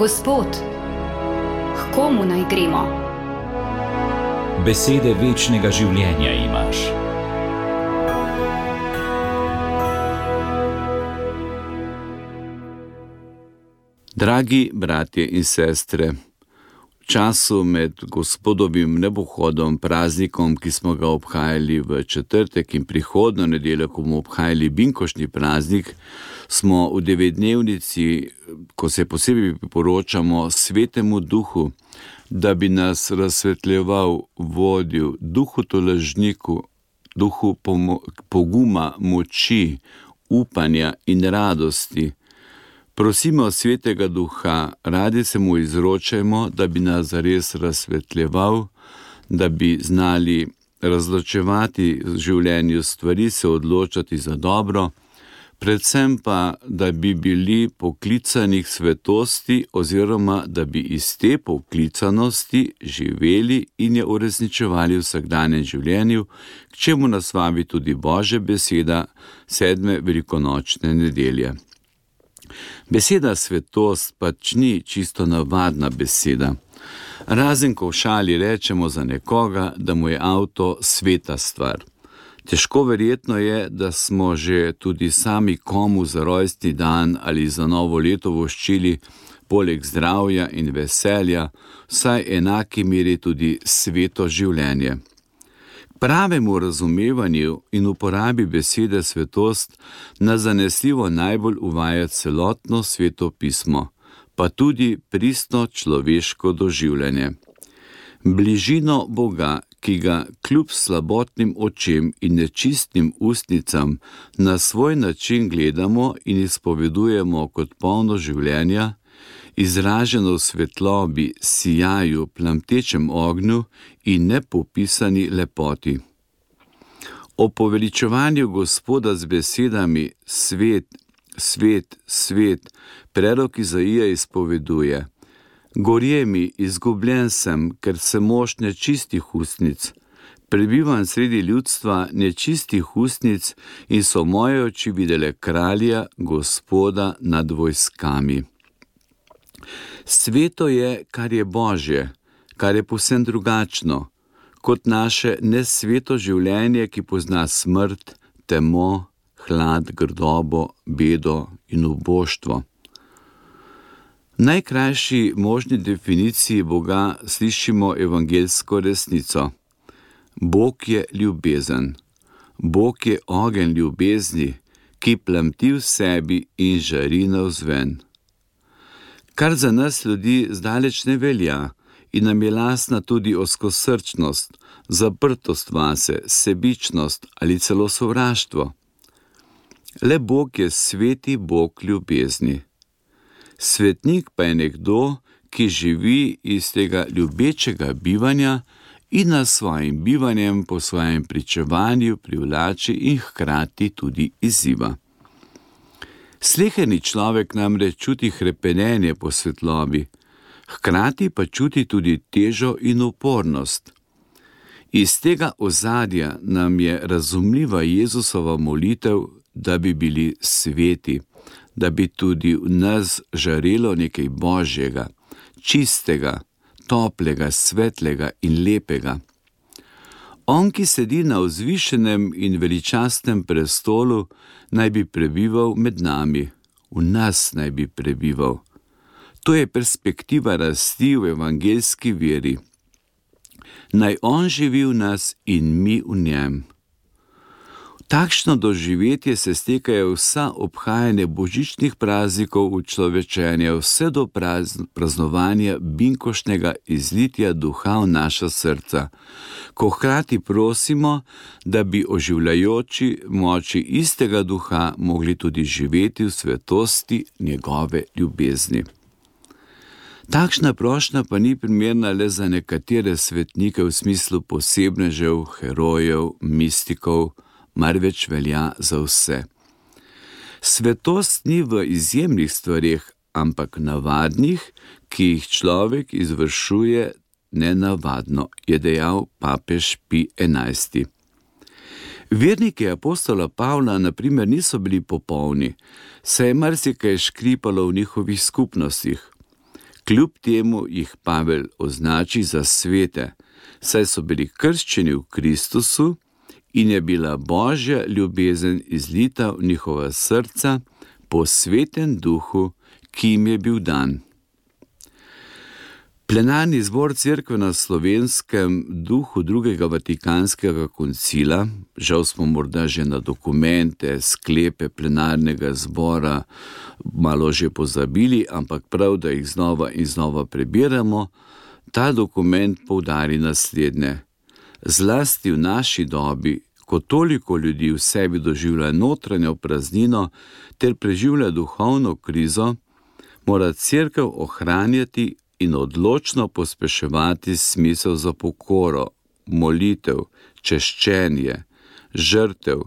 Gospod, k komu naj gremo? Besede večnega življenja imaš. Dragi bratje in sestre, v času med Gospodovim nebohodom, praznikom, ki smo ga obhajali v četrtek, in prihodnjo nedeljo, ko bomo obhajali binkoštni praznik, smo v devetdnevnici, ko se posebej priporočamo Svetemu Duhu, da bi nas razsvetljeval, vodil, Duhu tolažniku, Duhu poguma, moči, upanja in radosti. Prosimo Svetega Duha, radi se mu izročajmo, da bi nas zares razsvetljeval, da bi znali razločevati v življenju stvari, se odločati za dobro, predvsem pa, da bi bili poklicani k svetosti oziroma da bi iz te poklicanosti živeli in je uresničevali v vsakdanjem življenju, k čemu nas vabi tudi Božja beseda 7. velikonočne nedelje. Beseda svetost pač ni čisto navadna beseda. Razen ko v šali rečemo za nekoga, da mu je avto sveta stvar. Težko verjetno je, da smo že tudi sami komu za rojstni dan ali za novo leto voščili poleg zdravja in veselja vsaj enaki meri tudi sveto življenje. Pravemu razumevanju in uporabi besede svetost nas zanesljivo najbolj uvaja celotno Sveto pismo, pa tudi pristno človeško doživljanje. Bližino Boga, ki ga kljub slabotnim očem in nečistnim ustnicam na svoj način gledamo in izpovedujemo kot polno življenja, izraženo v svetlobi, sijaju, plamtečem ognju in nepopisani lepoti. O poveličevanju Gospoda z besedami svet, svet, svet, prerok Izaija izpoveduje: Gorje mi, izgubljen sem, ker sem mož nečistih ustnic. Prebivam sredi ljudstva nečistih ustnic in so moje oči videle kralja, Gospoda nad vojskami. Sveto je, kar je Božje, kar je povsem drugačno, kot naše nesveto življenje, ki pozna smrt, temo, hlad, grdobo, bedo in uboštvo. V najkrajši možni definiciji Boga slišimo evangeljsko resnico. Bog je ljubezen. Bog je ogenj ljubezni, ki plamti v sebi in žari navzven. Kar za nas ljudi zdaleč ne velja in nam je lastna tudi ozkosrčnost, zaprtost vase, sebičnost ali celo sovraštvo. Le Bog je sveti Bog ljubezni. Svetnik pa je nekdo, ki živi iz tega ljubečega bivanja in nas svojim bivanjem po svojem pričevanju privlači in hkrati tudi izziva. Sleherni človek namreč čuti hrepenenje po svetlobi, hkrati pa čuti tudi težo in upornost. Iz tega ozadja nam je razumljiva Jezusova molitev, da bi bili sveti, da bi tudi v nas žarelo nekaj Božjega, čistega, toplega, svetlega in lepega. On, ki sedi na vzvišenem in veličastnem prestolu, naj bi prebival med nami, v nas naj bi prebival. To je perspektiva rasti v evangeljski veri. Naj on živi v nas in mi v njem. V takšno doživetje se stekajo vsa obhajanja božičnih praznikov učlovečenja, vse do praznovanja binkoštnega izlitja duha v naša srca, ko hkrati prosimo, da bi oživljajoči moči istega duha mogli tudi živeti v svetosti njegove ljubezni. Takšna prošnja pa ni primerna le za nekatere svetnike v smislu posebnežev, herojev, mistikov, marveč velja za vse. Svetost ni v izjemnih stvareh, ampak navadnih, ki jih človek izvršuje nenavadno, je dejal papež Pij XI. Verniki apostola Pavla na primer niso bili popolni, saj je marsikaj škripalo v njihovih skupnostih. Kljub temu jih Pavel označi za svete, saj so bili krščeni v Kristusu in je bila Božja ljubezen izlita v njihova srca po Svetem Duhu, ki jim je bil dan. Plenarni zbor Cerkve na Slovenskem duhu drugega Vatikanskega koncila, žal smo morda že na dokumente, sklepe plenarnega zbora malo že pozabili, ampak prav, da jih znova in znova prebiramo, ta dokument poudari naslednje. Zlasti v naši dobi, ko toliko ljudi v sebi doživlja notranjo praznino ter preživlja duhovno krizo, mora Cerkev ohranjati in odločno pospeševati smisel za pokoro, molitev, češčenje, žrtev,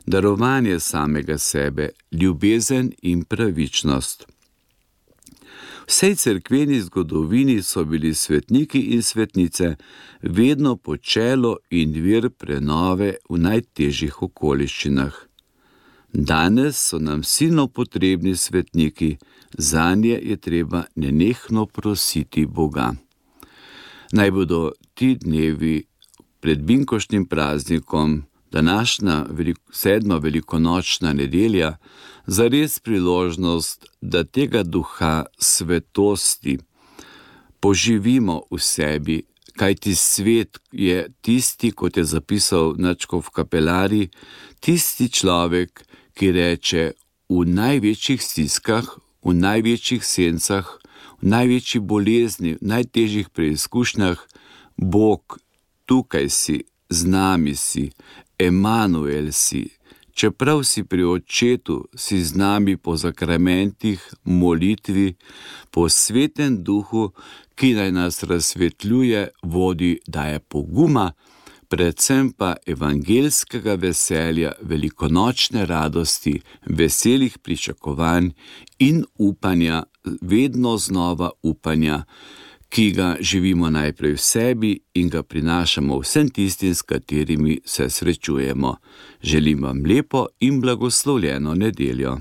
darovanje samega sebe, ljubezen in pravičnost. V vsej cerkveni zgodovini so bili svetniki in svetnice vedno počelo in vir prenove v najtežjih okoliščinah. Danes so nam silno potrebni svetniki, zanje je treba nenehno prositi Boga. Naj bodo ti dnevi pred binkoštnim praznikom, današnja 7. velikonočna nedelja, zares priložnost, da tega duha svetosti poživimo v sebi, kajti svet je tisti, kot je zapisal nadškof Kapelari, tisti človek, ki reče v največjih stiskah, v največjih sencah, v največji bolezni, v najtežjih preizkušnjah, Bog, tukaj si, z nami si, Emanuel si, čeprav si pri Očetu, si z nami po zakramentih, molitvi, po Svetem Duhu, ki naj nas razsvetljuje, vodi, daje poguma, predvsem pa evangeljskega veselja, velikonočne radosti, veselih pričakovanj in upanja, vedno znova upanja, ki ga živimo najprej v sebi in ga prinašamo vsem tistim, s katerimi se srečujemo. Želim vam lepo in blagoslovljeno nedeljo.